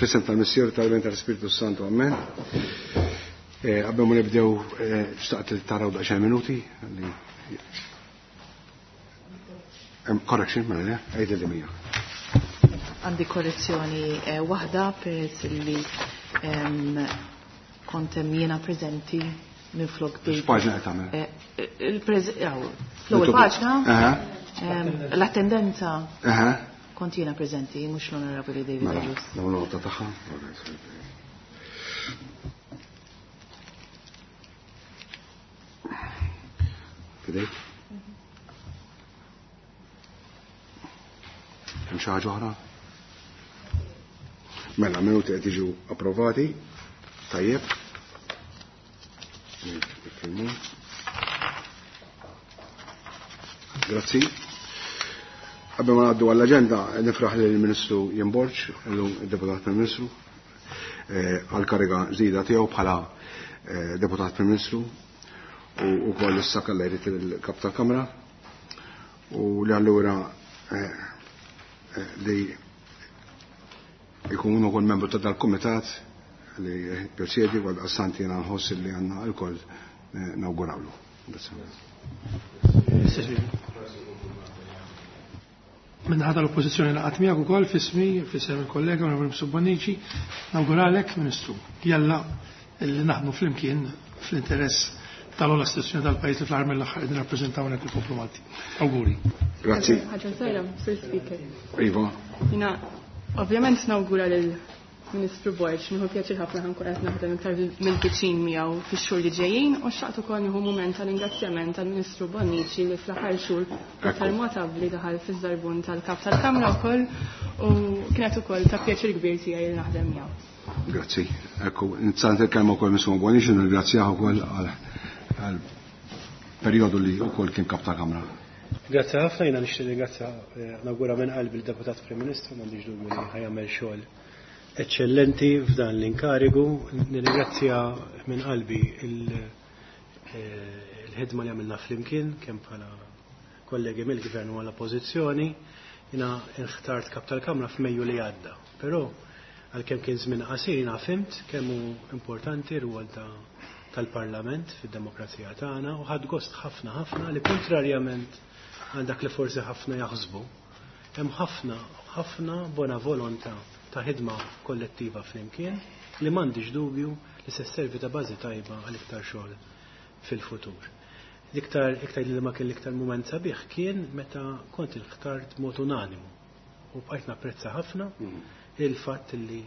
Fl-isem tal-Missier tal-Iben tal-Spiritu Santu, amen. Qabel ma nibdew xtaqt li taraw daqsxejn minuti li correction, mela le, għidli li mija. Għandi korrezzjoni waħda peress li kont hemm jiena preżenti minn flok David. X'paġna qed tagħmel? Fl-ewwel paġna. L-attendenza. Kont jiena preżenti, mhux l-Onorevoli David Mela, Agius. nagħmlu nota tagħha. Fidejk? Hemm xi ħaġa oħra? Mela, minuti qed jiġu approvati. Tajjeb. Grazzi. Qabel ma ngħaddu għall-aġenda, nifraħ lill-Ministru Ian Borg, illum id-Deputat Prim Ministru, għall-kariga ġdida tiegħu bħala Deputat Prim Ministru u wkoll issa kellha jrid il-Kap tal-Kamra u li allura li jkun ukoll membru ta' dal-kumitat li presjedi għal daqstant jiena nħoss li għandna lkoll nawgurawlu. Minn ħadd l-oppożizzjoni laqgħet miegħek ukoll fismi, fisem il-kollega Onorevoli Mifsud Bonnici, nawguralek Ministru. Jalla li naħdmu flimkien fl-interess tal-ogħla istituzzjoni tal-pajjiż li fl-aħħar mill-aħħar qegħdin nirrappreżentaw hawnhekk il-poplu Malti. Awguri. Grazzi. Ħaġa żgħira, Sir Speaker. Iva. Jiena ovvjament nawgura lil Ministru Borg, nieħu pjaċir ħafna ħankun qed naħdem iktar mill-viċin miegħu fix-xhur li ġejjin u xtaqt ukoll nieħu mument ta' ringrazzjament tal-Ministru Bonnici li fl-aħħar xhur iktar mod abbli daħal fiż-żarbun tal-Kap tal-Kamra wkoll u kienet ukoll ta' pjaċir kbir tiegħi li naħdem miegħu. Grazzi. Ekku, nitsant il-kelma wkoll Ministru Bonnici, nirringrazzjah ukoll għal perjodu li wkoll kien Kap tal-Kamra. Grazzi ħafna, jiena nixtieq ringrazzja nawgura minn qalbi l-Deputat Prim Ministru, m'għandix dubju li ħajamel xogħol eccellenti f'dan l-inkarigu. Nirringrazzja minn qalbi il-ħidma li għamilna flimkien, kemm bħala kollegi mill-Gvern u għall-Oppożizzjoni. Jiena nħtart Kap tal-Kamra f'Mejju li għadda, però għalkemm kien żmien qasir jiena fhimt kemm hu importanti r-rwol tal-Parlament fid-demokrazija tagħna u ħadd gost ħafna ħafna li kontrarjament għal dak li forsi ħafna jaħsbu, hemm ħafna ħafna bona volontà ta' ħidma kollettiva flimkien li m'għandix dubju li se sservi ta' bażi tajba għal iktar xogħol fil-futur. L-iktar, iktar li ma kien l-iktar mument sabiħ kien meta kont inħtart mod unanimu u bqajt napprezza ħafna il-fatt li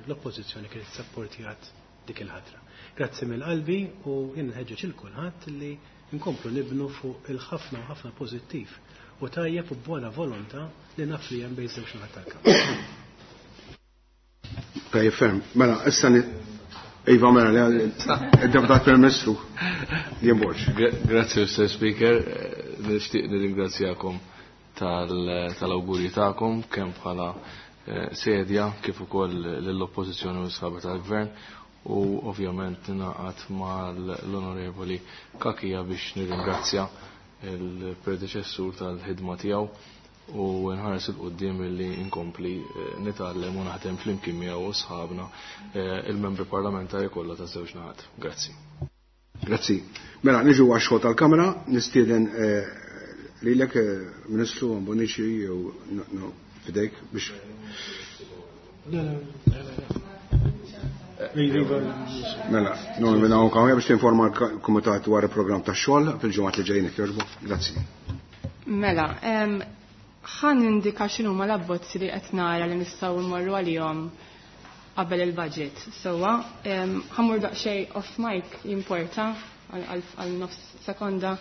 l-oppożizzjoni kienet sapportjat dik il-ħatra. Grazzi mill-qalbi u jien nħeġġeġ il kulħadd li nkomplu nibnu fuq il-ħafna u ħafna pożittiv u tajjeb u buona volontà li naf li hemm bejn żewġ naħat tal-Kamra. Tajjeb ferm. Mela, issa Iva, mela, li il-Deputat Prim Ministru, Ian Borg. Grazzi, Mr. Speaker. Nixtieq nirringrazzjakom tal-awguri tagħkom kemm bħala sedja kif ukoll lill-Oppożizzjoni u s-sħaba tal-Gvern u ovvjament ningħaqad mal-Onorevoli Cachia biex nirringrazzja il-predeċessur tal-ħidma tiegħu u nħares il quddiem illi nkompli nitgħallem u naħdem flimkien miegħu u sħabna il-membri parlamentari kollha ta' żewġ naħat. Grazzi. Grazzi. Mela, niġu għax-xogħol tal-Kamra, nistieden lilek Ministru Bonnici jew fidejk biex. Mela, non minna hawn kawja biex tinforma l-Kumitat dwar il-programm tax-xogħol fil-ġimgħat li ġejjin jekk jogħġbok. Grazzi. Mela, ħan indika x'inhuma l-abbozzi li qed nara li nistgħu mmorru għalihom qabel il-budget. Sewwa, ħammur daqsxejn off mic jimporta għal nofs sekonda.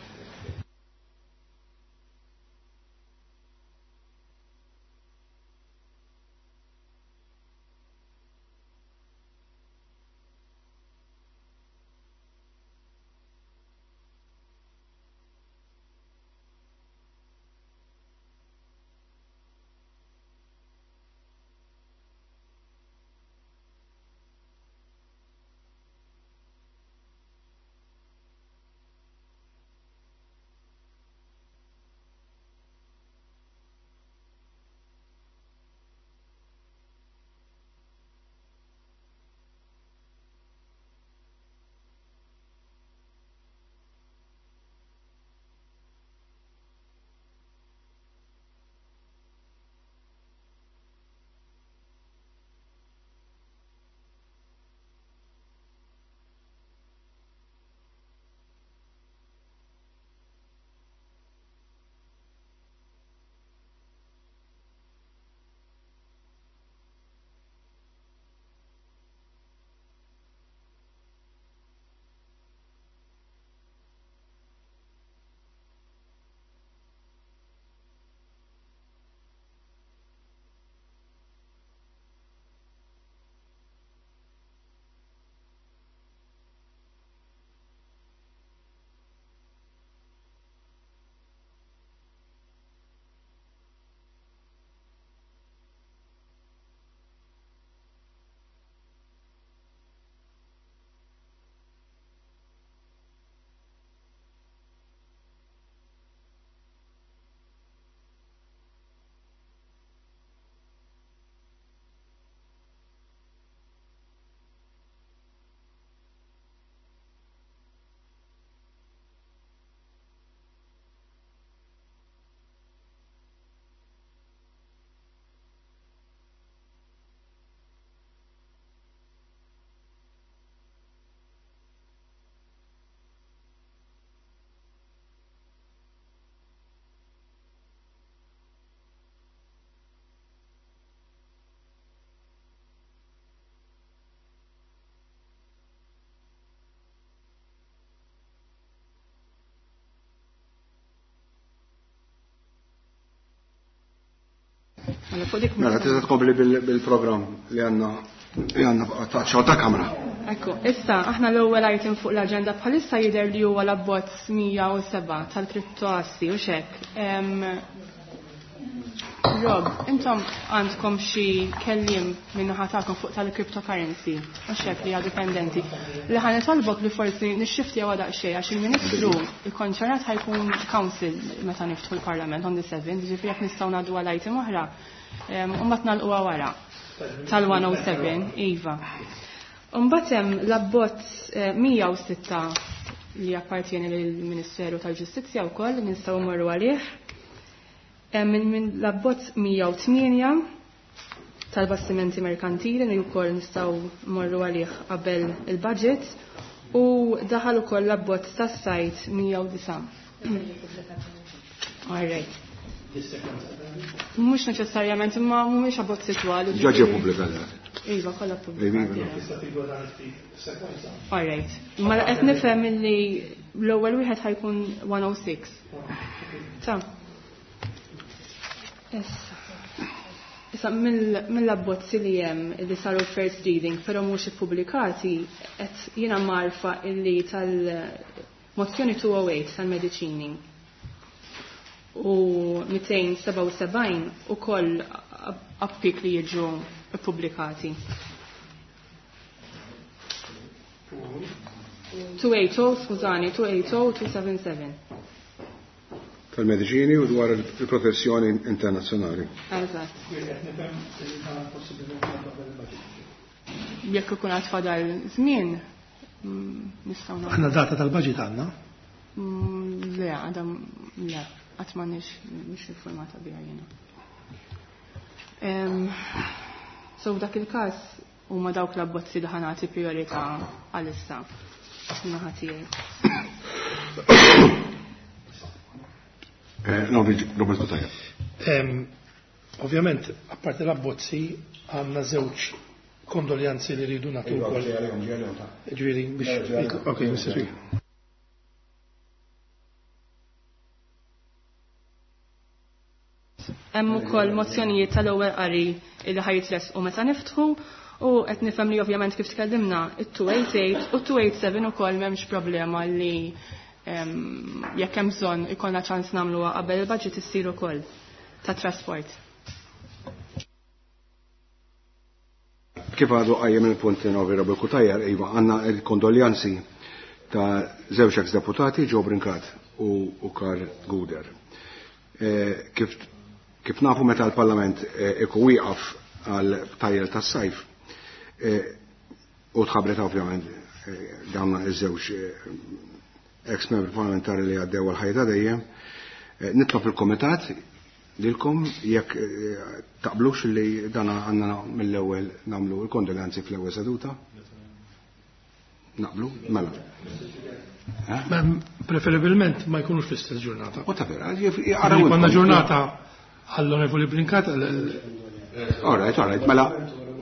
Mela fuq dik Mela, tista' tkompli bil-programm li għandna li għandna ta' xogħol ta' kamra. Ekku, issa aħna l-ewwel item fuq l-aġenda bħalissa jidher li huwa l-abbozz 107 tal-kriptoassi u xek. Rob, intom għandkom xi kelliem min-naħa tagħkom fuq tal-cryptocurrency u xek li għadu pendenti. Li ħa nitolbok li forsi nixxiftjaw daqsxejn għax il-Ministru il-konċernat ħa jkun council meta niftħu l-Parlament on the 7, ġifieri jekk nistgħu ngħaddu għal item oħra, u mbagħad nagħlquha wara tal-107, iva. Mbagħad hemm l-abbozz 106 li appartieni lill-Ministeru tal-Ġustizzja wkoll li nistgħu mmorru għalih. Hemm minn l-abbozz 108 tal-bastimenti merkantili li wkoll nistgħu mmorru għalih qabel il-budget u daħal ukoll l-abbozz tas-sajt 109. All right. Mhux neċessarjament, imma mhumiex abbozzi twal. Ġa ġie pubblikat. Iva, kollha pubblikati. All right. Mela qed nifhem illi l-ewwel wieħed ħa jkun 106. Ta. Issa. Issa mill-abbozzi li hemm li saru first reading, però mhux ippubblikati, qed jiena marfa illi tal-mozzjoni 208 tal-mediċini u 277 ukoll appik li jiġu ippubblikati. 280, skużani, 280, 277. Tal-mediċini u dwar il-protezzjoni internazzjonali. Eżatt. Jekk ikun għad fadal żmien, nistgħu nagħmlu. Aħna data tal-budget għandna? Le, għadha le, qatt m'għandniex mhix informata biha jiena. So f'dak il-każ huma dawk l-abbozzi li ħa nagħti priorità għalissa min-naħa tiegħi. Robert Cutajar. Ovvjament, apparti l-abbozzi, għandna żewġ kondoljanzi li rridu nagħtu Iva, wkoll. ġej għalihom, ġej għalihom, ta. Ġifieri biex Ġej għalihom. Ok, Mr. Speaker. Hemm ukoll mozzjonijiet tal-ewwel qari li ħajjitressqu meta niftħu u qed nifhem li ovvjament kif tkellimna it-288 u 287 ukoll m'hemmx problema li jekk hemm bżonn ikollna ċans nagħmluha qabel il-budget issir ukoll ta' trasport. Kif għadu qajjem il-punt li Robert Cutajar, iva, għandna il-kondoljanzi ta' żewġ ex-deputati, Joe Brincat u Karl Gouder. Kif nafu meta l-Parlament iku wieqaf għal tajjel tas-sajf, u tħabbret ovvjament dawn iż-żewġ ex-membri parlamentari li għaddew għal ħajta dejjem, nitlob il-Komitat lilkom jekk taqblux li dan għandna mill-ewwel nagħmlu l-kondoljanzi fl-ewwel seduta. Naqblu? Mela. Preferibilment ma jkunux fl-istess ġurnata. U ta' vera, jaraw Konna intom. ġurnata għall-Onorevoli Brincat, All right, all right, mela.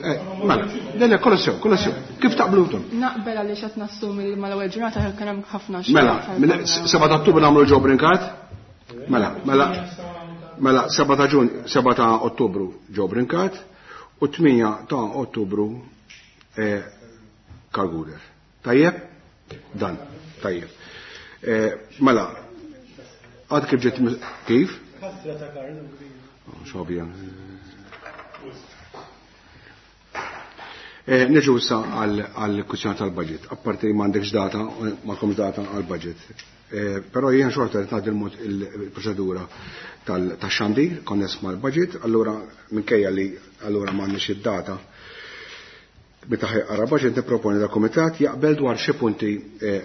Mela, le, le, kollu sew, kollu sew. Kif taqblu intom? Naqbel għaliex qed nassumi li mal-ewwel ġurnata kien hemm ħafna xogħol Mela, tal- mela, 7 ta' Ottubru nagħmlu Joe Brincat? Mela, mela, mela, 7 ta' Ġun, 7 ta' Ottubru Joe Brincat u 8 ta' Ottubru Karl Gouder. Tajjeb? Dan, tajjeb. Mela, għad kif ġiet kif? Kastra ta' Karl Gouder. Oh, xobja. Niġu issa għal kwistjoni tal-budget. Apparti m'għandekx data, m'għandkomx data għal-budget. Però jien xorta qed ngħaddi l-mod il-proċedura tax-xandir konness mal-budget, allura minkejja li allura m'għandniex id-data meta ħajqara budget nipproponi dal-kumitat jaqbel dwar xi punti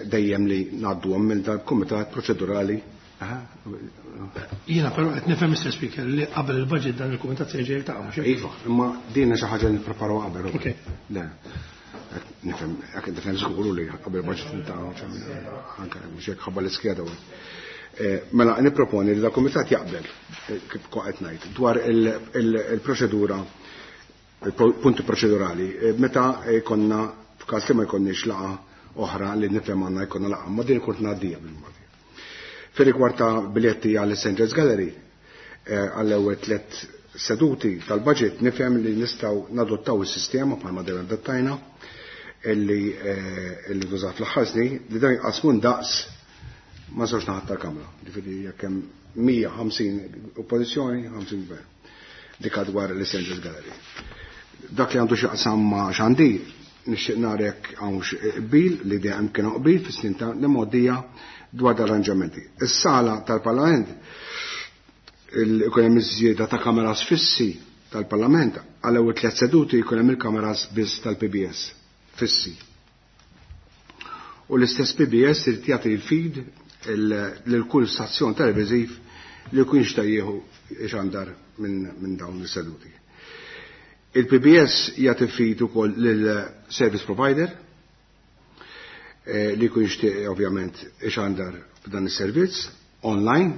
dejjem li ngħadduhom minn dal-kumitat proċedurali. Aha. Jiena però qed nifhem, Mr. Speaker, li qabel il-budget dan il-kumitat se jiġi jiltaqa' mhux hekk? Iva, imma din xi ħaġa li nippreparaw qabel. Ok. Le. Nifhem, jekk nifhem żguru li qabel il-budget niltaqgħu, anke mhux hekk ħabba l-iskeda. Mela nipproponi li dal-kumitat jaqbel, kif qed ngħid, dwar il-proċedura, il-punti proċedurali, meta jkollna f'każ li ma jkollniex laqgħa oħra li nifhem għandna jkollna laqgħa, ma din kont ngħaddija bil-modi. Fir-rigward ta' biljetti għall St. James Gallery, għall-ewwel 3 seduti tal-budget nifhem li nistgħu nadottaw is-sistema bħalma dejjem adottajna illi illi tużat fl-aħħar snin li dan jqasmu ndaqs ma' żewġ naħat tal-Kamra. Ġifieri jekk hemm 150 oppożizzjoni, 50 gvern. Dik dwar l-Essentials Gallery. Dak li għandu x'jaqsam ma' xandir, nixtieq nara jekk hawnx qbil li dejjem kien qbil fis-snin ta' l-imgħoddija dwar l-arranġamenti. Is-sala tal-Parlament ikun hemm iż-żieda ta' kameras fissi tal-Parlament għal ewwel tliet seduti jkun hemm il-kameras biss tal-PBS fissi. U l-istess PBS irid jagħti l-feed lil kull stazzjon televiżiv li jkun jixtieq jieħu xandar minn dawn is-seduti. Il-PBS jagħti feed ukoll lil service provider li jkun jixtieq ovvjament ixandar f'dan is-servizz online.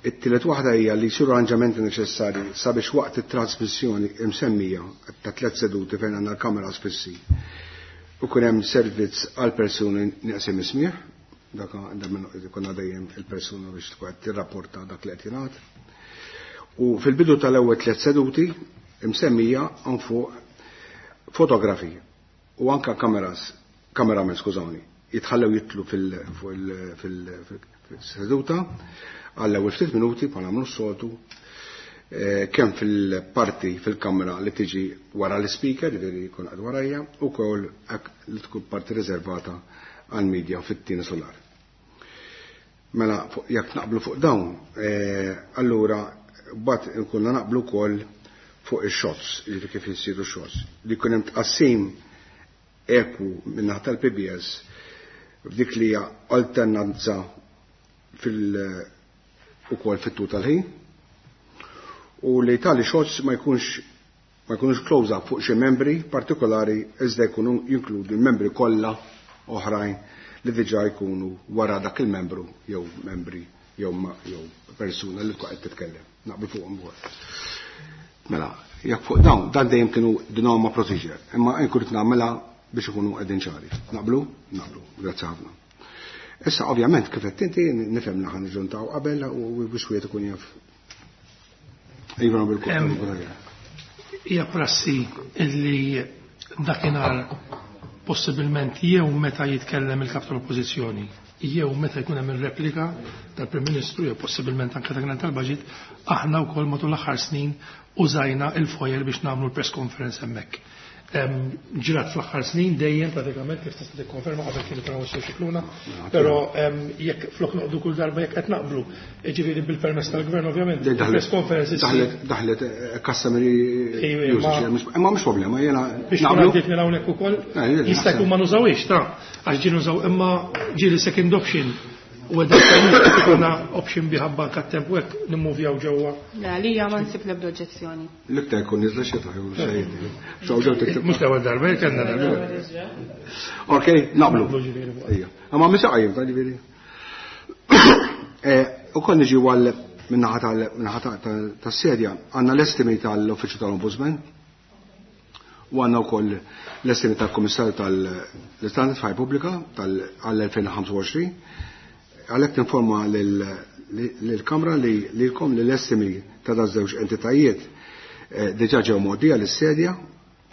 It-tielet waħda hija li jsiru arranġamenti neċessarji sabiex waqt it-trasmissjoni imsemmija ta' tliet seduti fejn għandna l-kameras fissi u kun hemm servizz għal persuni nieqsim ismieħ, dak konna dejjem il-persuna biex tkun qed tirrapporta dak li qed jingħad. U fil-bidu tal-ewwel tliet seduti imsemmija hawn fuq fotografi u anka kameras, kameramen, skużawni, jitħallew jitlu fil-seduta għall-ewwel ftit minuti bħala nagħmlu s-soltu, kemm fil-parti fil-kamra li tiġi wara l-speaker, ġifieri jkun qed warajja, u wkoll li tkun parti riservata għall-media fit-tieni solar. Mela jekk naqblu fuq dawn, allura mbagħad nkunna naqblu wkoll fuq ix-shots, ġifieri kif isiru shots, li jkun hemm tqassim eku min-naħa tal-PBS f'dik li hija alternanza fil- ukoll fit-tul tal-ħin, u li tali shots ma jkunux close up fuq xi membri partikolari iżda jkunu jinkludu l-membri kollha oħrajn li diġà jkunu wara dak il-membru jew membri jew jew persuna li tkun qed titkellem. Naqblu fuqhom ukoll. Mela, jekk fuq dawn, dan dejjem kienu the normal procedure, imma nkun qed nagħmilha biex ikunu qegħdin ċari. Naqblu? Naqblu. Grazzi ħafna. Issa ovvjament kif qed inti nifhem li ħa niġġuntaw qabel u biex wieħed ikun jaf. Iva, bil-kont. Hija prassi illi dakinhar possibilment jew meta jitkellem il-kap tal-Oppożizzjoni jew meta jkun hemm ir-replika tal-Prim Ministru jew possibilment anke dakinhar tal-budget, aħna wkoll matul l-aħħar snin użajna il-foyer biex nagħmlu l-press conference hemmhekk. Ġrat fl-aħħar snin dejjem pratikament kif tista' tikkonferma qabel kien ikun hawn Scicluna, però jekk flok noqdu kull darba jekk qed naqblu, jiġifieri bil-permess tal-gvern ovvjament, il-press conference issir. Daħlet customary usage, imma mhux problema, jiena Biex tkun naqblu. għaddiet minn hawnhekk ukoll, Jien jista' jkun naħseb. ma nużawhiex ta' għax ġie nużaw imma ġieli second option. U għedha ikollna option biħabba anke t-temp u hekk nimmuvjaw ġewwa. Le, għalija ma nsib l-ebda oġġezzjoni. L-iktar jkun niżla xita, jew xejn. Xew ġew tiktib. Mhux l-ewwel darba, jekk kellna darba. Ok, naqblu. Naqblu ġifieri fuq. Ejja. Imma mhux qajjim, ta' ġifieri. U konni ġi għal minnaħa tas-sedja, għandna l-estimi tal-Uffiċċju tal-Ombudsman, u għandna wkoll l-estimi tal-Kummissarju tal-Istandards Faj Pubblika għall-2025. Għalhekk tinforma lill-Kamra li lilkom li l-estimi ta' daż żewġ entitajiet diġà ġew mgħoddija lis-sedja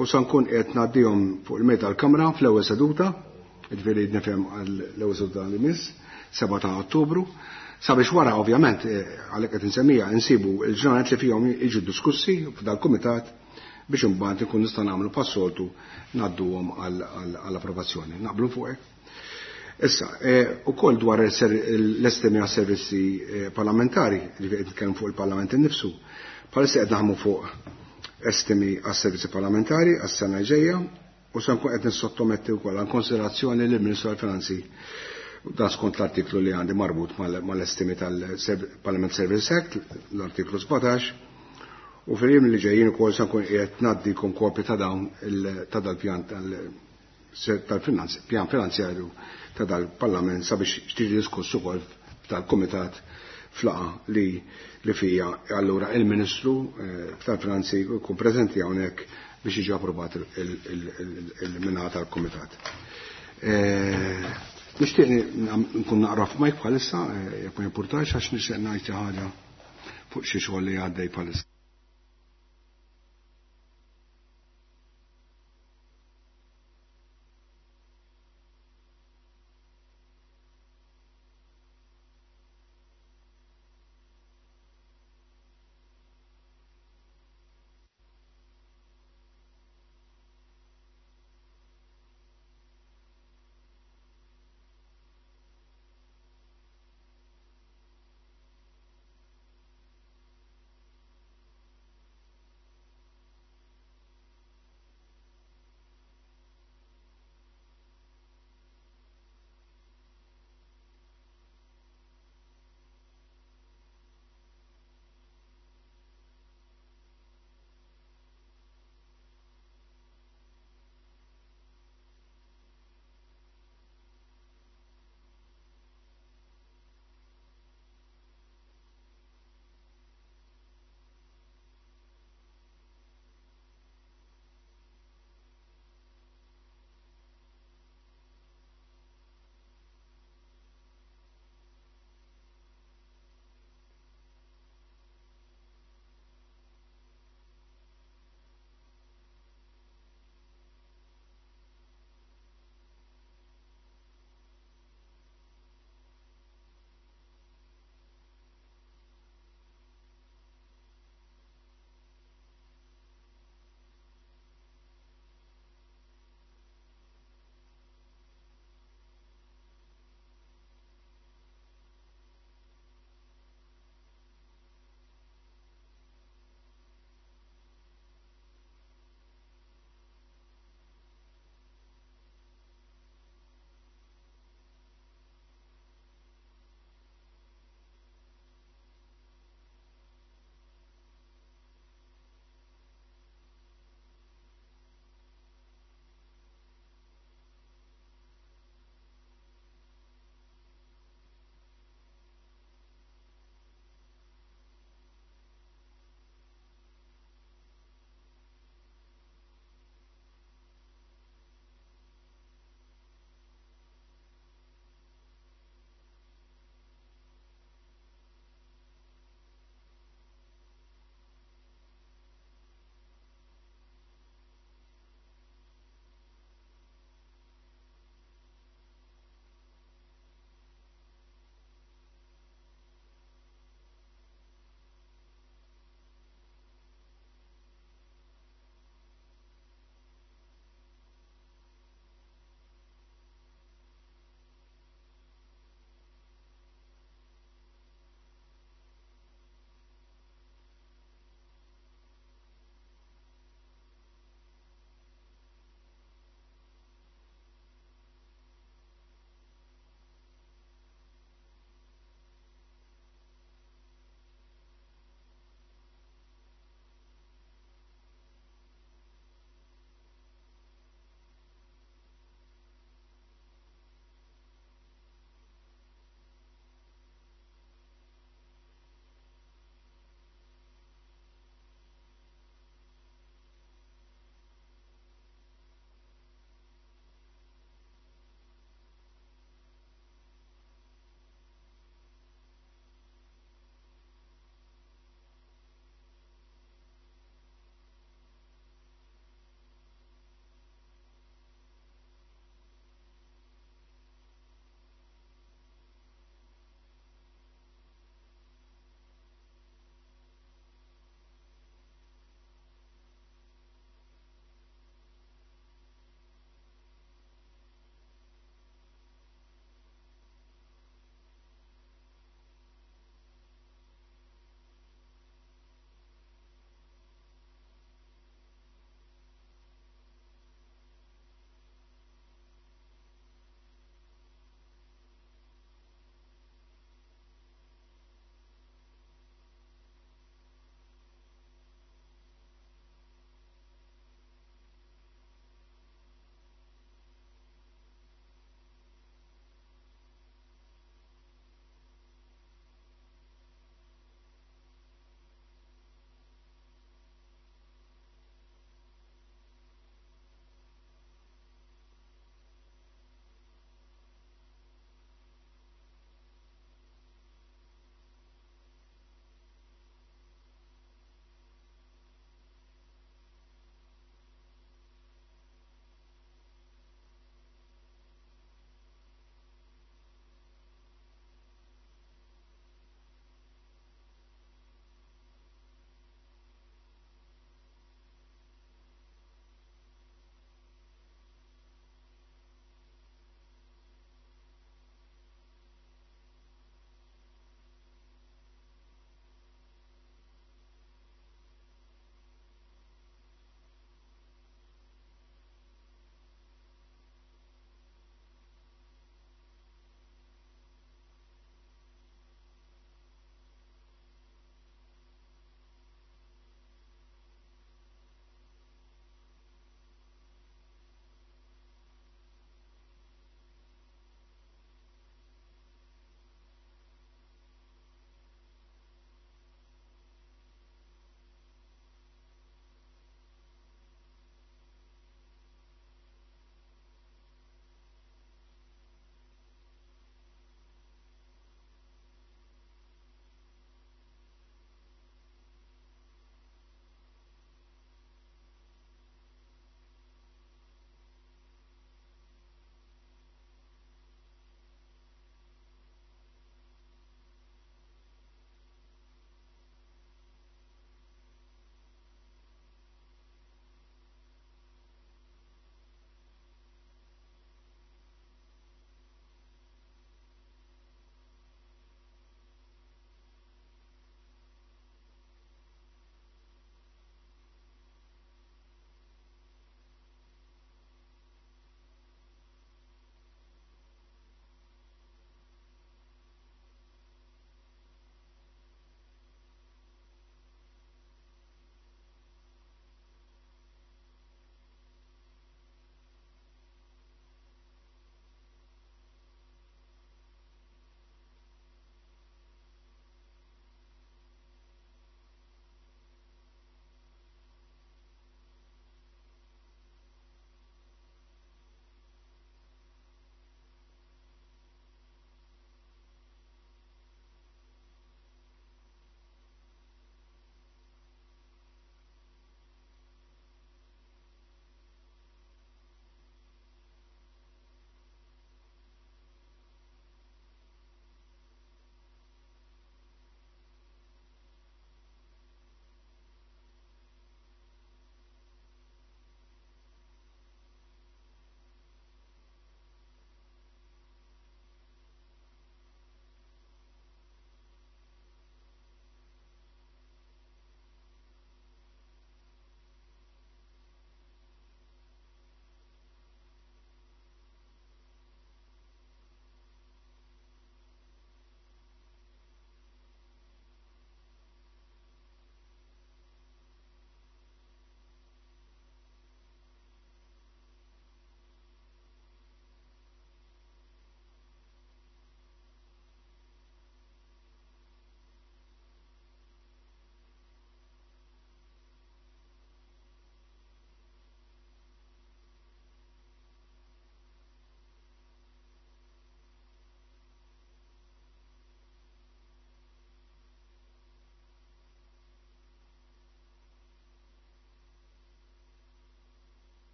u sa nkun qed ngħaddihom fuq il-mejda tal-Kamra fl-ewwel seduta, jiġifieri nifhem għall-ewwel seduta li miss, 7 ta' Ottubru, sabiex wara ovvjament għalhekk qed insemmija insibu l-ġranet li fihom jiġu diskussi f'dal-kumitat biex imbagħad ikun nista' nagħmlu passoltu ngħadduhom għall-approvazzjoni. Naqblu fuq hekk? Issa, ukoll dwar l-estimi għas servizzi parlamentari, li qed nitkellem fuq il-Parlament innifsu, bħalissa qed naħdmu fuq estimi għas servizzi parlamentari għas-sena ġejja u se nkun qed nissottometti wkoll għal konsiderazzjoni lill-Ministru tal-Finanzi dan skont l-artiklu li għandi marbut mal-estimi tal-Parliament Service Act, l-artiklu 17, u fil-jiem li ġejjin ukoll se nkun qiegħed ngħaddikom kopji ta' dawn ta' dal-pjan pjan finanzjarju ta' dal-Parlament sabiex tiġi diskuss ukoll tal-Kumitat flaqa li fija allura il-Ministru tal-Finanzi jkun preżenti hawnhekk biex jiġi approvat il-minħata tal-Kumitat. Nixtieq nkun naqra f'majk bħalissa, jekk ma jimpurtax, għax nixtieq ngħid xi ħaġa fuq xi xogħol li għaddej bħalissa.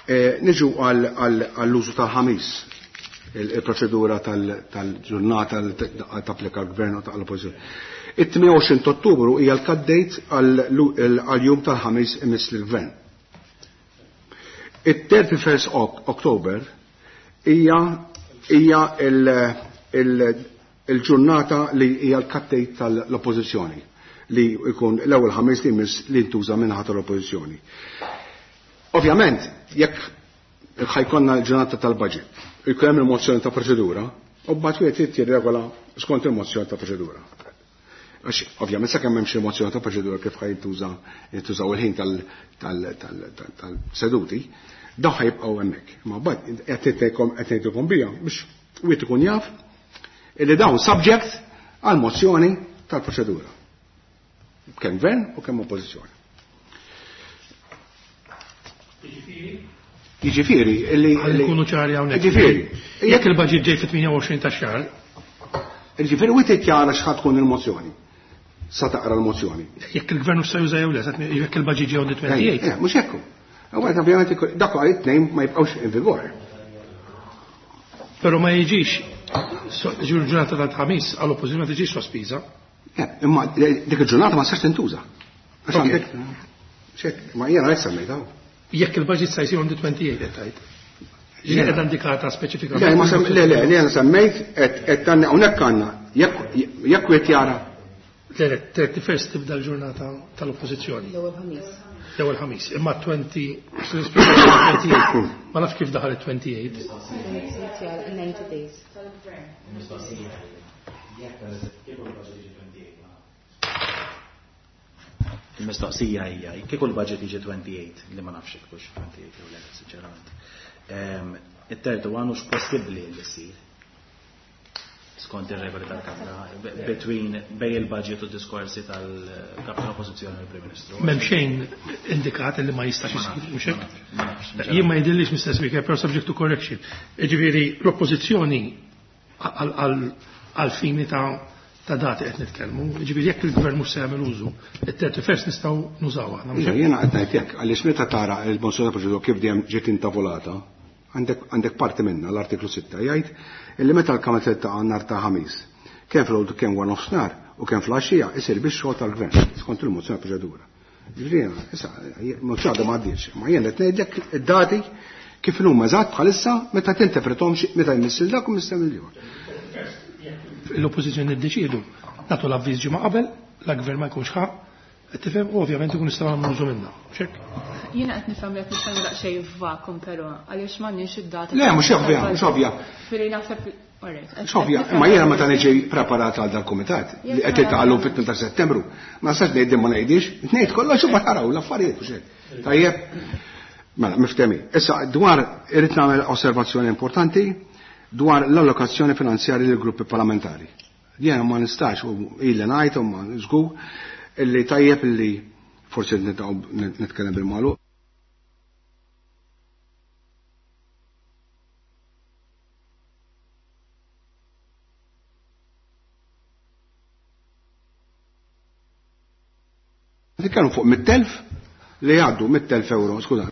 Niġu għall-użu tal-ħamis, il-proċedura tal-ġurnata li tapplika l-gvern u tal-oppożizzjoni. It-28 Ottubru hija l-kaddejt għal-jum tal-ħamis imiss lill-gvern. It-31 Oktober hija il-ġurnata li hija l-kaddejt tal-oppożizzjoni li jkun l-ewwel ħamis li jmiss li ntuża minn ħadd l-oppożizzjoni. Ovvjament, jekk ħajkonna l-ġurnata tal-budget, jkun hemm il-mozzjoni ta' proċedura, u mbagħad wieħed irid jirregola skont il-mozzjoni ta' proċedura. Għax ovvjament sakemm m'hemmx il-mozzjoni ta' proċedura kif ħaj jintużaw il-ħin tal-seduti, dawn ħajibqgħu hemmhekk. Ma mbagħad qed ngħidilkom bija biex wieħed ikun jaf illi dawn subject għal mozzjoni tal-proċedura. Kemm gvern u kemm oppożizzjoni. Jiġifieri illi nkunu ċari hawnhekk. Jiġifieri, jekk il-budget ġej fit-28 ta' xahar. Jiġifieri wieħed jara x'ħad tkun il-mozzjoni. Sa taqra l-mozzjoni. Jekk il-gvern mhux se juża jew le, jekk il-budget ġej on the 28. Mhux hekk. Għawet, ovvjament, dak għal it-tnejn ma jibqgħux in vigor. Però ma jiġix ġurnata tal-ħamis għall-oppożizzjoni ma tiġix sospiża. Imma dik il-ġurnata ma tistax tintuża. Għax għandek ma jiena qed semmejtha. Jekk il-budget sa jsir on the 28 qed tgħid. Ġi qiegħda indikata speċifikament. Le, ma le, le, li jiena semmejt qed tanni hawnhekk għandna jekk wieħed jara. Le, le, 31 tibda l-ġurnata tal-oppożizzjoni. L-ewwel ħamis. L-ewwel ħamis. Imma 20, 28, ma nafx kif daħal it-28. 90 days. Il-mistoqsija hija, kieku l-budget jiġi 28, li ma nafx jekk hux 28 jew le, sinċerament. It-tertu għan hux possibbli li ssir skont ir-regoli tal-Kamra between bej il-budget u diskorsi tal-Kap tal-Oppożizzjoni u l-Prim Ministru. M'hemm xejn indikat li ma jistax isir, mhux hekk? Ma nafx, Jien ma jidhirlix, Mr. Speaker, però subject to correction. Jiġifieri l-Oppożizzjoni għal fini ta' dati qed nitkellmu, jiġifieri jekk il-gvern mhux se jagħmel użu, it-31 nistgħu nużaw aħna, mhux hekk? Jiena qed ngħid hekk, għaliex meta tara l-mozzjoni ta' proċedura kif dejjem ġiet intavolata, għandek parti minnha l-artiklu 6 jgħid illi meta l-Kamra tiltaqa' nhar ta' ħamis, kemm filgħodu kemm wara nofsinhar u kemm fl-għaxija isir biex xogħol tal-gvern skont il-mozzjoni ta' proċedura. Ġifieri issa mozzjoni għadha ma għaddietx, ma jien qed ngħidlek id-dati kif huma eżatt bħalissa meta tinterpretom meta jmissil dak u missil ieħor. L-oppożizzjoni ddeċiedu nagħtu l-avviż ġimgħa qabel, la gvern ma jkunx ħa, qed tifhem, u ovvjament ikun nistgħu nagħmlu użu minnha. Xek? Jiena qed nifhem li qed nitkellmu daqsxejn f'vakum però għaliex m'għandniex id-data. Le, mhux ovvja, mhux ovvja. Firri naħseb Alright, Mhux ovvja, imma jiena meta niġi preparat għal dal-kumitat li qed jiltaqgħu fit-tmien ta' Settembru, ma nistax ngħid ma ngħidix, ngħid kollox u ma taraw l-affarijiet u xejn. Tajjeb, mela miftehmin. Issa dwar irid nagħmel osservazzjoni importanti dwar l-allokazzjoni finanzjarja lill gruppi parlamentari. Jiena ma nistax u illi ngħid u ma żgur illi tajjeb illi forsi nitkellem bil-magħluq. Nitkellmu fuq 100,000 li jgħaddu 100,000 euro, skuża.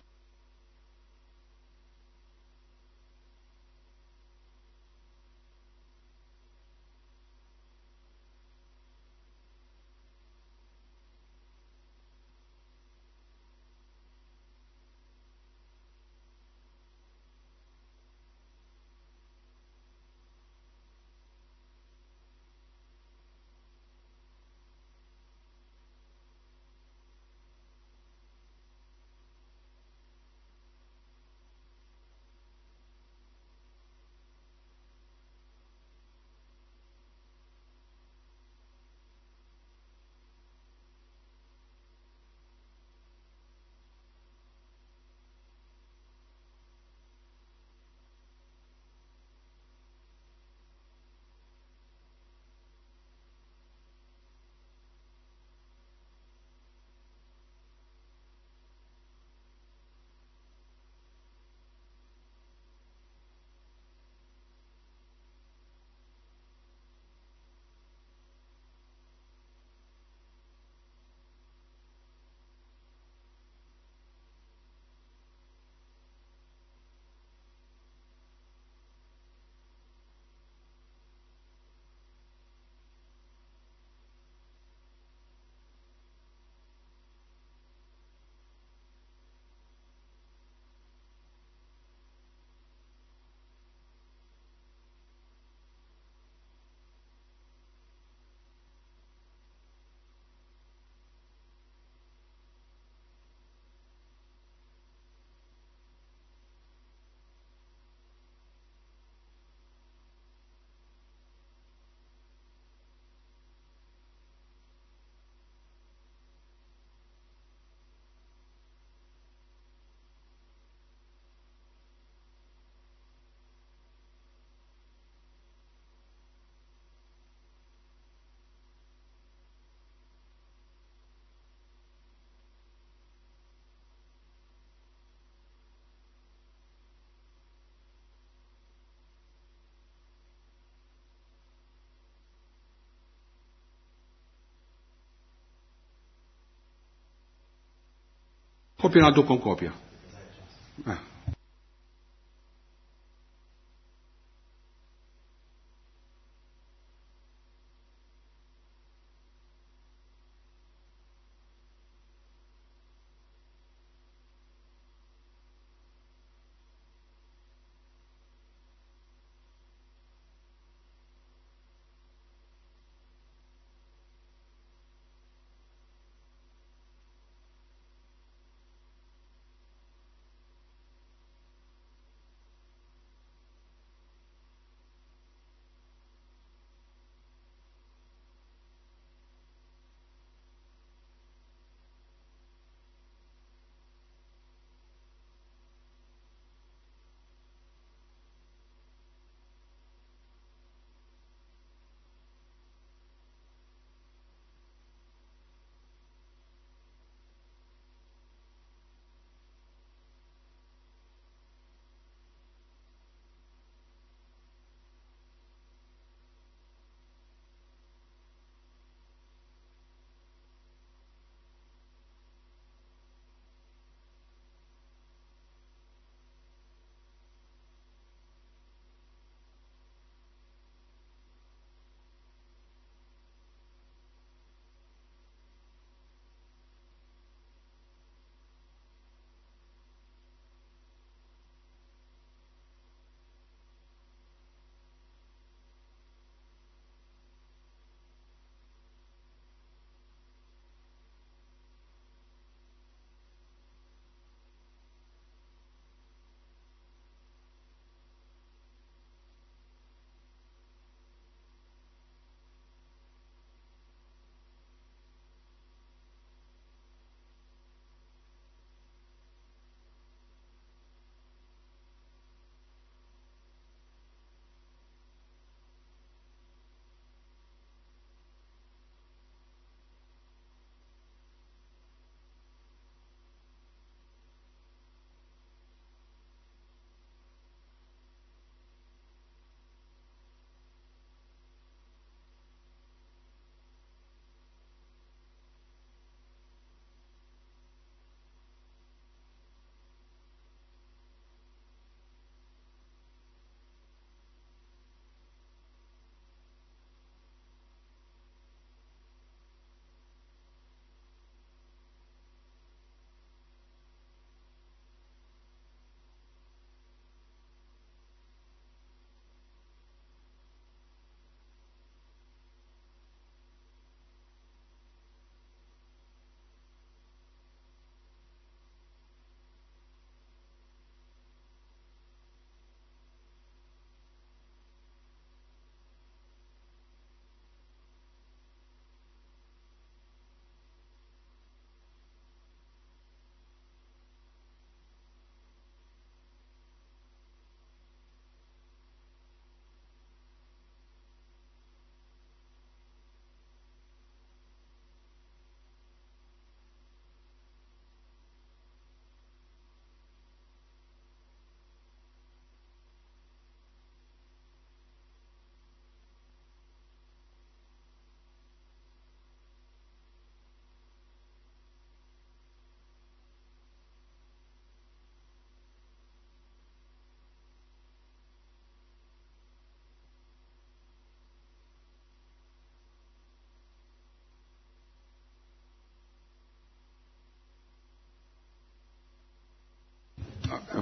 Kopja ngħaddukom kopja.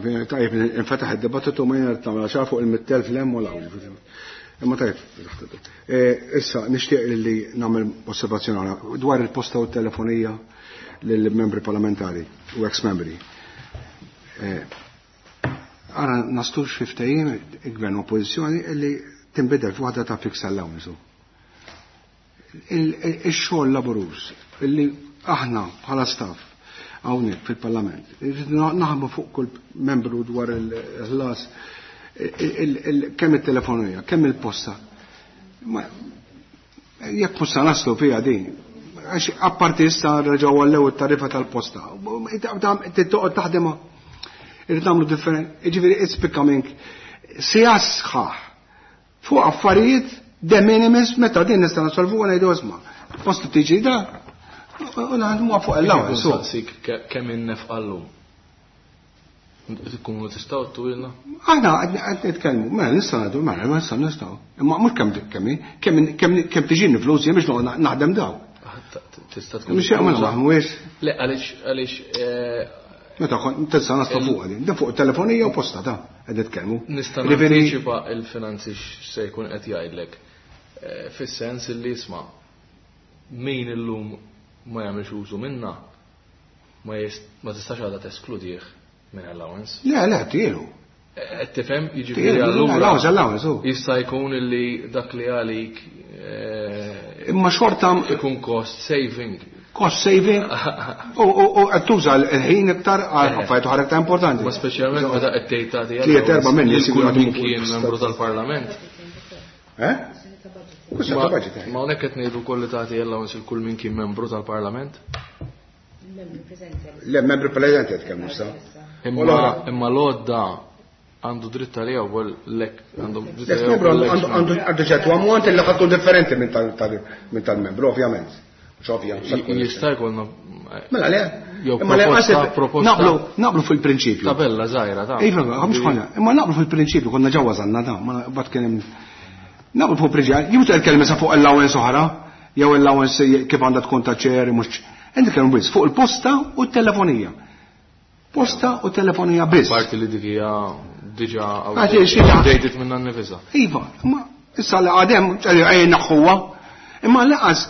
Tajjeb, infetaħ id-dibattitu ma jena tagħmel xar fuq il-mittelf l-hemm u l-hawn. Imma tajjeb, issa nixtieq li nagħmel osservazzjoni dwar il-posta u t-telefonija lill-membri parlamentari u ex-membri. Ara nastux fi ftehim il-gvern u oppożizzjoni li tinbidel f'waħda ta' fix allowance. Ix-xogħol laboruż illi aħna bħala staff hawnhekk fil-Parlament. Irridu naħdmu fuq kull membru dwar il-ħlas kemm it-telefonija, kemm il-posta. Jekk mhux se naslu fiha din, għax apparti issa reġgħu għallew it-tariffa tal-posta. Toqgħod taħdimha. Irrid nagħmlu different. Jiġifieri it's becoming sija sħaħ fuq affarijiet de minimis meta din nista' nasolvu ngħidu isma'. Posta tiġi da, U naħdmu fuq allowance. Saqsik kemm innefqa llum. Tkunu tistgħu twilna? Aħna qed nitkellmu, mela nista' ngħidu, mela ma nista' nistgħu. Imma mhux kemm kemm kemm kemm tiġini flus jien biex noqgħod naħdem daw. Tista' tkun. Mhux jagħmel mhuwiex. Le għaliex għaliex Meta kont tista' naslu fuq din, dan fuq telefonija u posta ta' qed nitkellmu. Nista' nantiċipa il-finanzi x'se jkun qed jgħidlek. Fis-sens li isma' min illum ma jagħmilx użu minna ma tistax għadha teskludih minn allowance. Le, le, tielu. Qed tifhem, jiġifieri allura. Allowance, allowance, hu. Jista' jkun illi dak li għalik Imma xorta ikun cost saving. Cost saving u qed tuża l-ħin iktar għal affarijiet oħra iktar importanti. Ma speċjalment meta qed tgħid tagħti Tliet erba' minn lil kull min kien membru tal-Parlament. Eh? Kwistjoni ta' budget. Ma hawnhekk qed ngħidu wkoll li tagħti allowance il kull min kien membru tal-Parlament? Le, membru preżenti qed kemm issa. Imma l-għodda għandu dritt għaliha wkoll lek għandu dritt L-ex membru għandu ċertu ammont li ħadtu differenti minn tal-membru, ovvjament. Mhux ovvja, mhux tkun Jista' jkollna Mela le. Jew Imma le, għasib, proposta naqblu fil-prinċipju. Tabella żgħira ta' Iva, mhux konna, imma naqblu fil-prinċipju konna ġewwa żanna ta' ma bad kien hemm naqblu fuq prinċipju. Jew tkellem issa fuq allowance oħra, jew allowance kif għandha tkun ta' ċer, mhux Inti tkellem biss fuq il-posta u t-telefonija. Posta u telefonija biss. Parti li dik hija diġà Għax hi xi ħaġa. outdated minna nnifisha. Iva, imma issa li għadem, ċe, naħħuha. Imma laqas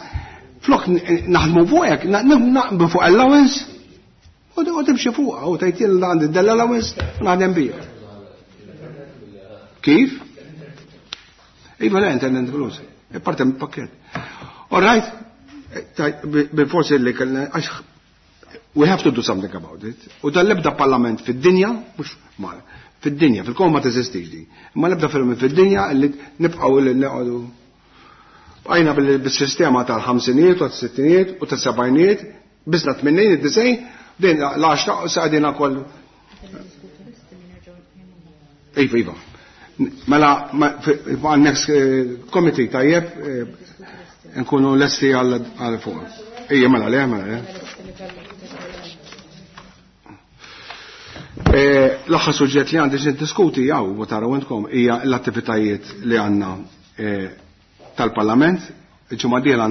flok naħdmu fuq hekk, naqblu fuq allowance u timxi fuqha u tgħid jien għandi dell allowance u naħdem biha. Kif? Iva, le, intendent flus. E parte mill pakket. All right? Bil-forsi li kellna, għax we have to do something about it. U dal-ebda parlament fid-dinja, mhux mal, fid-dinja, fil-koma ma teżistix di. Imma l-ebda parlament fid-dinja li nibqgħu li neqogħdu. Bqajna bil-sistema tal-ħamsinijiet u tas-sittinijiet u tas-sebgħinijiet, biżna tmennejn id-disgħin, din l-għaxra sa qegħdin kollu. Iva, iva. Mela, għal next committee tajjeb, nkunu lesti għal fuq. Ejja, mela, le, mela, le. L-aħħar suġġett li għandi niddiskuti jew u taraw intkom hija l-attivitajiet li għandna tal-Parlament. Il-ġimgħa d-dieħla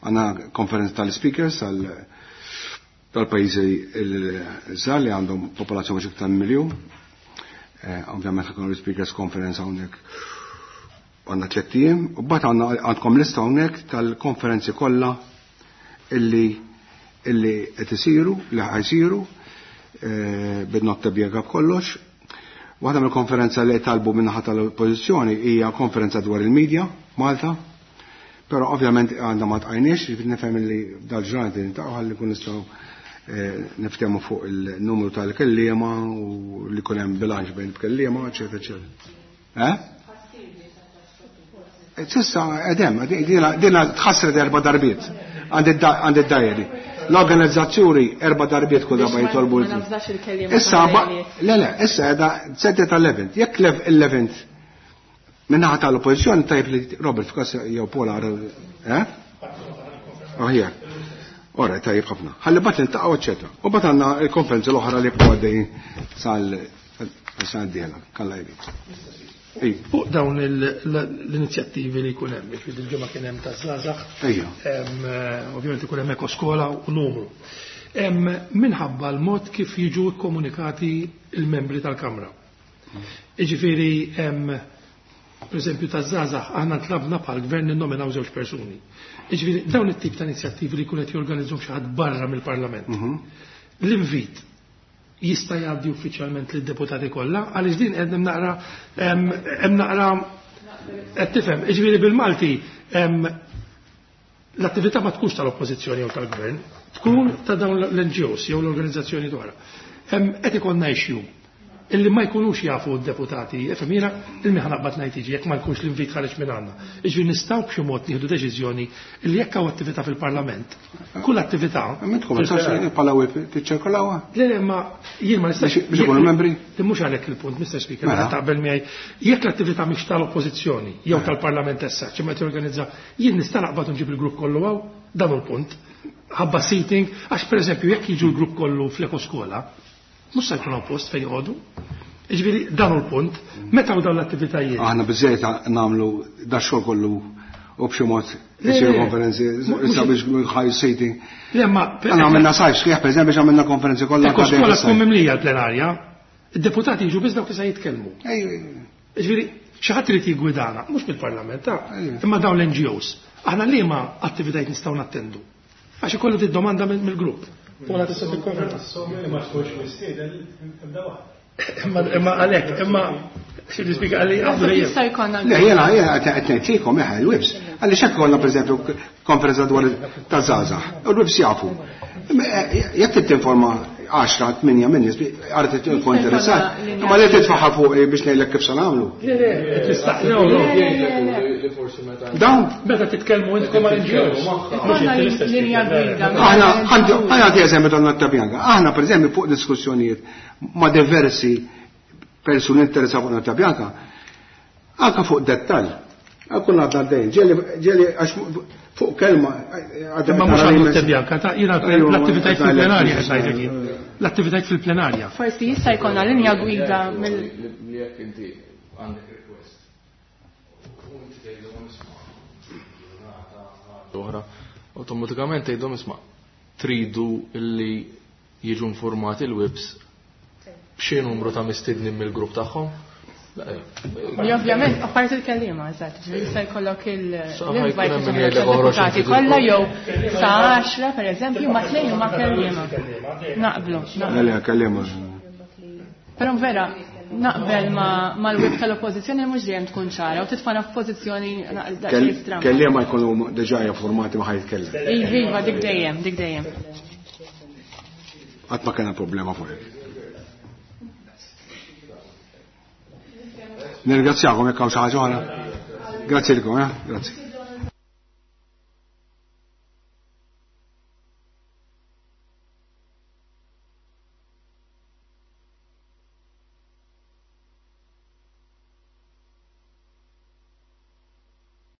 għandna konferenza tal-speakers tal-pajjiżi l-żgħar li għandhom popolazzjoni xi iktar miljun. Ovvjament ħakun l-speakers conference hawnhekk għandna 3 ijiem, u mbagħad għandkom lista hawnhekk tal-konferenzi kollha illi qed isiru, li ħajsiru, bid-notta bjega b'kollox. Waħda mill-konferenza li talbu min-naħa tal-oppożizzjoni hija konferenza dwar il-medja Malta, però ovvjament għandha ma tqajniex, jiġifieri nifhem li dal-ġranet niltaqgħu ħalli nkun nistgħu niftehmu fuq il-numru tal-kelliema u li jkun hemm bilanċ bejn il-kelliema, eċetera, eċetera. Eh? Sissa, edem, dina tħassret 4 darbiet għand id-dajeri. L-organizzazzjoni 4 darbiet kull darba jitolbu Ma nafdax il-kelliema Issa, ta' ma- Dajeri. le, le, issa edha sette tal-event. Jekk l-event minnaħa tal-oppożizzjoni tajb li Robert f'kas jew Paul għar, eh? Aħjar. Ora, tajjeb ħafna. Ħalli bat niltaqgħu, eċetera. U bat għandna l-konferenza l-oħra li bqgħu għaddejjin sal-sena d-dieħla. Kalla jrid. Ej. Fuq dawn l-inizjattivi li jkun hemm, jiġifieri il-ġimgħa kien hemm taż-żgħażagħ. Ejja. Ovvjament ikun hemm ekoskola u numru. Minħabba l-mod kif jiġu kkomunikati il-membri tal-Kamra. Jiġifieri, per eżempju taż-żgħażagħ aħna tlabna bħal gvern ninnominaw żewġ persuni. Jiġifieri dawn it-tip ta' inizjattivi li jkun qed jorganizzhom xi ħadd barra mill-Parlament. L-invit jista' jgħaddi uffiċjalment lid-deputati kollha għaliex din qed hemm naqra, hemm naqra qed tifhem, jiġifieri bil-Malti, l-attività ma tkunx tal-oppożizzjoni jew tal-gvern, tkun ta' dawn l-N G Os jew l-organizzazzjoni oħra. Qed ikollna issue illi ma jkunux jafu d-deputati, ifhem jiena ilmi ħanaqbad ngħid jiġi jekk ma jkunx l-invit ħareġ minn għandna. Jiġifieri nistgħu b'xi mod nieħdu deċiżjoni illi jekk hawn attività fil-Parlament, kull attività Ma intkom ma tistax bħala whip tiċċirkolawha? Le, le, ma jien ma nistax Biex ikunu membri? Li mhux għalhekk il-punt, Mr. Speaker, Mela. meta taqbel miegħi. Jekk l-attività mhix tal-oppożizzjoni jew tal-Parlament issa, xi ma jorganizza, jien nista' naqbad nġib il-grupp kollu hawn. Dan hu l-punt. Ħabba seating, għax pereżempju jekk jiġu l-grupp kollu fl-ekoskola, mhux se jkun hawn post fejn joqogħdu. Jiġifieri dan hu l-punt. Meta hawn dawn l-attivitajiet? Aħna biżejjed nagħmlu da xogħol kollu u b'xi mod isiru konferenzi sabiex high seating. Le ma Aħna għamilna sajf sħiħ pereżempju biex għamilna konferenzi kollha. Ekoskola tkun mimlija l-plenarja. Id-deputati jiġu biss dawk li se jitkellmu. Ġifieri, xi ħadd irid jiggwidana, mhux mill-Parlament, imma dawn l-NGOs. Aħna liema attivitajiet nistgħu nattendu? Għax ikollu domanda mill-grupp. U għala tista' tikkonferma. Li ma tkunx mistieden ebda waħda. Imma għalhekk, imma xi nispjega għalli għabdu dejjem. Jista' jkollna Le, jena, jena, qed ngħidilkom eħe l-webs. Għaliex hekk kollha pereżempju konferenza dwar ta' żgħażagħ. U l-webs jafu. Jekk trid tinforma 10, 8 minn nies għarret tkun interessat, imma li titfaħħa fuq biex ngħidlek kif se nagħmlu. Le, le, qed nistaqsi. No, no. Li forsi meta Dawn Meta titkellmu intkom mal NGOs. Mhux Ikollna inti l-istess linja gwida. Aħna, għandi għandi eżempju ta' Notta Bianca. Aħna, per eżempju, fuq diskussjonijiet ma' diversi persuni interessati fuq Notta Bianca, anka fuq dettall. Kun għadna għaddejn, ġeli, għax fuq kelma. Imma mhux għal Notte Bianca, ta' jiena l-attivitajiet fil-plenarja qed ngħidlek jien. L-attivitajiet fil-plenarja. Forsi jista' jkollna linja gwida mill li jekk inti għandek request u inti tgħidilhom isma' ġurnata oħra, awtomatikament tgħidhom isma' tridu illi jiġu informati l-webs b'xi numru ta' mistednin mill-grupp tagħhom. Li ovvjament, apparti il-kelliema, eżatt, ġifieri jista' jkollok Sa ħajkun l-invite hemm min jgħidlek oħroġ deputati inti kollha tilkom. jew sa 10 pereżempju ma tnejn huma kelliema. Naqblu, naqblu. Le, kellima. Però vera, naqbel mal-web tal-oppożizzjoni mhux dejjem tkun ċara u titfana f'pożizzjoni daqsxejn stramba. Kellima jkunu diġà informati ma ħajtkellem. Iva, iva, dik dejjem, dik dejjem. Qatt ma kellna problema fuq hekk. Nirringrazzjakom jekk hawn xi ħaġa oħra. Grazzi lilkom, eh? Grazzi.